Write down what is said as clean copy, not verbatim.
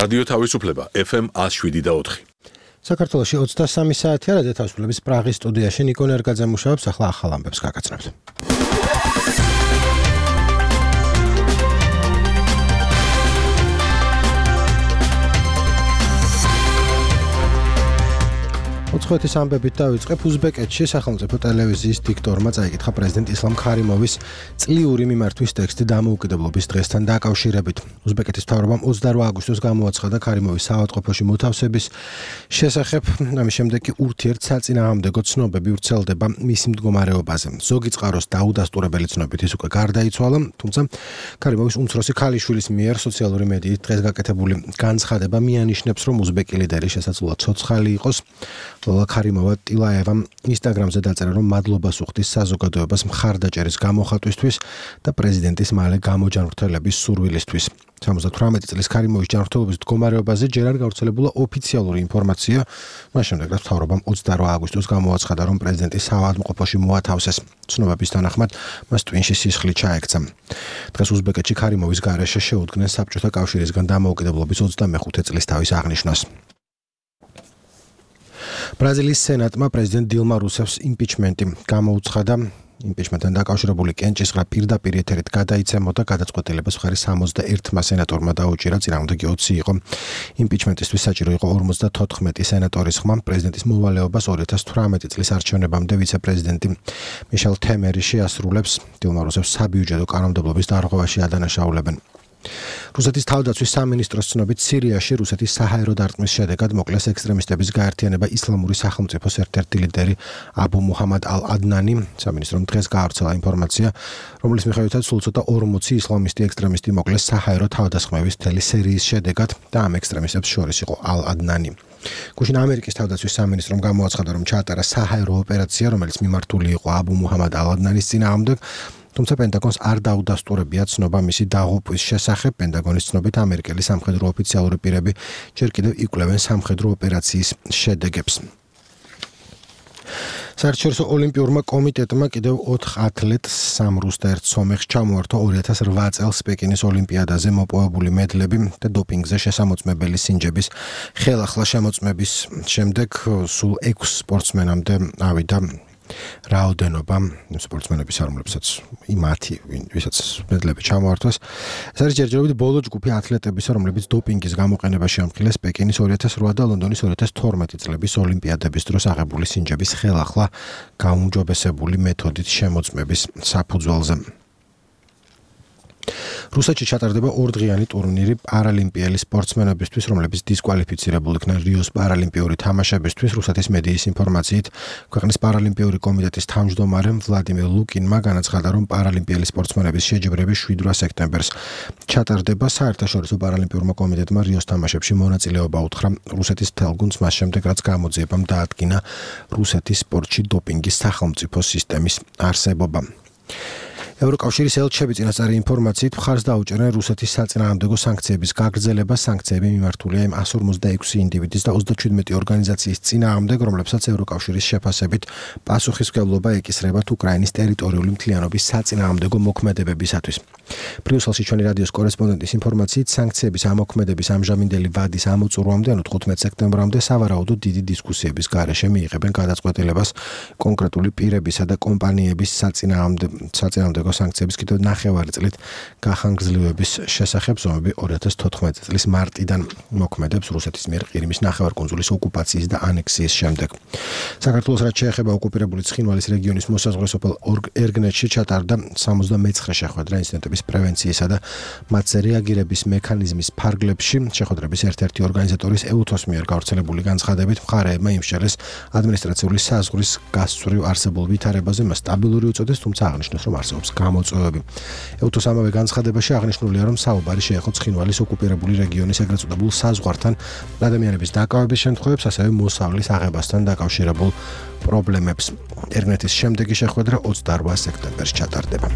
რადიო თავისუფლება FM 107.4. საქართველოში 23 საათია რადიო თავისუფლების პრაღის სტუდიაში ნიკო ნერგაძე მუშაობს, ახლა ახალ ამბებს გაგაცნობთ. უცხოეთის ამბებით დავიწყებ. უზბეკეთში სახელმწიფო ტელევიზიის დიქტორმა წაიკითხა პრეზიდენტ ისლამ ქარიმოვის წლიური მიმართვის ტექსტი დამოუკიდებლობის დღესთან დაკავშირებით. უზბეკეთის მთავრობამ 28 აგვისტოს გამოაცხადა ქარიმოვის საავადმყოფოში მოთავსების შესახებ, ამის შემდეგ კი ურთიერთსაწინააღმდეგო ცნობები ვრცელდება მისი მდგომარეობაზე. ზოგი წყაროს დაუდასტურებელი ცნობით ის უკვე გარდაიცვალა, თუმცა ქარიმოვის უმცროსი ქალიშვილის მიერ სოციალური მედიით დღეს გაკეთებული განცხადება მიანიშნებს, რომ უზბეკი ლიდერი შესაძლოა ცოცხალი იყოს. ლოლა ქარიმოვა ტილაევამ ინსტაგრამზე დაწერა, რომ მადლობას უხდის საზოგადოებას მხარდაჭერის გამოხატვისთვის და პრეზიდენტის მალე გამოჯანმრთელების სურვილისთვის. 78 წლის ქარიმოვის ჯანმრთელობის მდგომარეობაზე ჯერ არ გავრცელებულა ოფიციალური ინფორმაცია, მას შემდეგ რაც მთავრობამ 28 აგვისტოს გამოაცხადა, რომ პრეზიდენტი საავადმყოფოში მოათავსეს. ცნობების თანახმად მას ტვინში სისხლი ჩაექცა. დღეს უზბეკეთში ქარიმოვის გარეშე შეუდგნენ საბჭოთა კავშირისგან დამოუკიდებლობის 25 წლის თავის აღნიშვნას. ბრაზილიის სენატმა პრეზიდენტ დილმა რუსევს იმპიჩმენტი გამოუცხადა. იმპიჩმენტთან დაკავშირებული კენჭისყრა პირდაპირ ეთერით გადაიცემოდა, გადაწყვეტილებას მხარი 61 სენატორმა დაუჭირა, წინააღმდეგი 20 იყო. იმპიჩმენტისთვის საჭირო იყო 54 სენატორის ხმა. პრეზიდენტის მოვალეობას 2018 წლის არჩევნებამდე ვიცე-პრეზიდენტი მიშელ თემერი შეასრულებს. დილმა რუსევს საბიუჯეტო კანონმდებლობის დარღვევაში ადანაშაულებენ. რუსეთის თავდაცვის სამინისტროს ცნობით სირიაში რუსეთის საჰაერო დარტყმის შედეგად მოკლეს ექსტრემისტების გაერთიანება ისლამური სახელმწიფოს ერთ-ერთი ლიდერი აბუ მუჰამად ალ-ადნანი. სამინისტრომ დღეს გაავრცელა ინფორმაცია, რომლის მიხედვითაც სულ ცოტა 40 ისლამისტი ექსტრემისტი მოკლეს საჰაერო თავდასხმების მთელი სერიის შედეგად და ამ ექსტრემისტებს შორის იყო ალ-ადნანი. გუშინ ამერიკის თავდაცვის სამინისტრომ გამოაცხადა, რომ ჩაატარა საჰაერო ოპერაცია, რომელიც მიმართული იყო აბუ მუჰამად ალ-ადნანის წინააღმდეგ. თუმცა პენტაგონს არ დაუდასტურებია ცნობა მისი დაღუპვის შესახებ. პენტაგონის ცნობით ამერიკელი სამხედრო ოფიციალური პირები ჯერ კიდევ იკვლევენ სამხედრო ოპერაციის შედეგებს. საერთაშორისო ოლიმპიურმა კომიტეტმა კიდევ 4 ათლეტს, 3 რუს და 1 სომეხს ჩამოართვა 2008 წელს პეკინის ოლიმპიადაზე მოპოვებული მედლები და დოპინგზე შესამოწმებელი სინჯების ხელახლა შემოწმების შემდეგ სულ 6 სპორტსმენამდე ავიდა რაოდენობა სპორტსმენების, რომლებსაც იმათი, ვისაც მედლები ჩამოართვეს. ეს არის ჯერჯერობით ბოლო ჯგუფი ათლეტებისა, რომლებიც დოპინგის გამოყენებაში ამხილეს პეკინის 2008 და ლონდონის 2012 წლების ოლიმპიადების დროს აღებული სინჯების ხელახლა გაუმჯობესებული მეთოდით შემოწმების საფუძველზე. რუსეთში ჩატარდება 2 დღიანი ტურნირი პარალიმპიელი სპორტსმენებისთვის, რომლებიც დისკვალიფიცირებულ იქნენ რიოს პარალიმპიური თამაშებისთვის. რუსეთის მედიის ინფორმაციით, ქვეყნის პარალიმპიური კომიტეტის თავმჯდომარე ვლადიმერ ლუკინმა განაცხადა, რომ პარალიმპიელი სპორტსმენების შეჯიბრები 7 სექტემბერს ჩატარდება. საერთაშორისო პარალიმპიურმა კომიტეტმა რიოს თამაშებში მონაწილეობა უთხრა რუსეთის თელგუნდს, მას შემდეგ რაც გამოძიებამ დაადგინა რუსეთის სპორტში დოპინგის სახელმწიფო სისტემის არსებობა. ევროკავშირის ელჩები წინასწარი ინფორმაციით მხარს დაუჭერენ რუსეთის საწინააღმდეგო სანქციების გაგრძელებას. სანქციები მიმართულია იმ 156 ინდივიდის და 37 ორგანიზაციის წინააღმდეგ, რომლებსაც ევროკავშირის შეფასებით პასუხისმგებლობა ეკისრებათ უკრაინის ტერიტორიული მთლიანობის საწინააღმდეგო მოქმედებებისათვის. ბრიუსელში ჩვენი რადიოს კორესპონდენტის ინფორმაციით, სანქციების ამოქმედების ამჟამინდელი ვადის ამოწურვამდე, ანუ 15 სექტემბრამდე, სავარაუდოდ დიდი დისკუსიების გარეშე მიიღებენ გადაწყვეტილებას კონკრეტული პირებისა და კომპანიების საწინააღმდეგო სანქციების კიდევ 9 წლით გახანგრძლივების შესახებ. ზომები 2014 წლის მარტიდან მოქმედებს რუსეთის მიერ ყირიმის ნახევარკუნძულის ოკუპაციის და ანექსიის შემდეგ. საქართველოს რაც შეეხება ოკუპირებული ცხინვალის რეგიონის მოსაზღვრე სოფელ ერგნეთში ჩატარდა 79 შეხვედრა ინციდენტების პრევენციისა და მათზე რეაგირების მექანიზმის ფარგლებში. შეხვედრების ერთ-ერთი ორგანიზატორის EUTHOS მიერ გავრცელებული განცხადებით მხარეებმა იმსჯელეს ადმინისტრაციული საზღვრის გასწვრივ არსებულ ვითარებაზე, მას სტაბილური უწოდეს, თუმცა აღნიშნეს, რომ არსებობს გამოწვევები. EUTHOS ამავე განცხადებაში აღნიშნულია, რომ საუბარი შეეხო ცხინვალის ოკუპირებული რეგიონის ეგრეთ წოდებულ საზღვართან ადამიანების დაკავების შემთხვევებს, ასევე მოსავლის აღებასთან დაკავშირებულ პრობლემებს. ერგნეთის შემდეგი შეხვედრა 28 სექტემბერს ჩატარდება.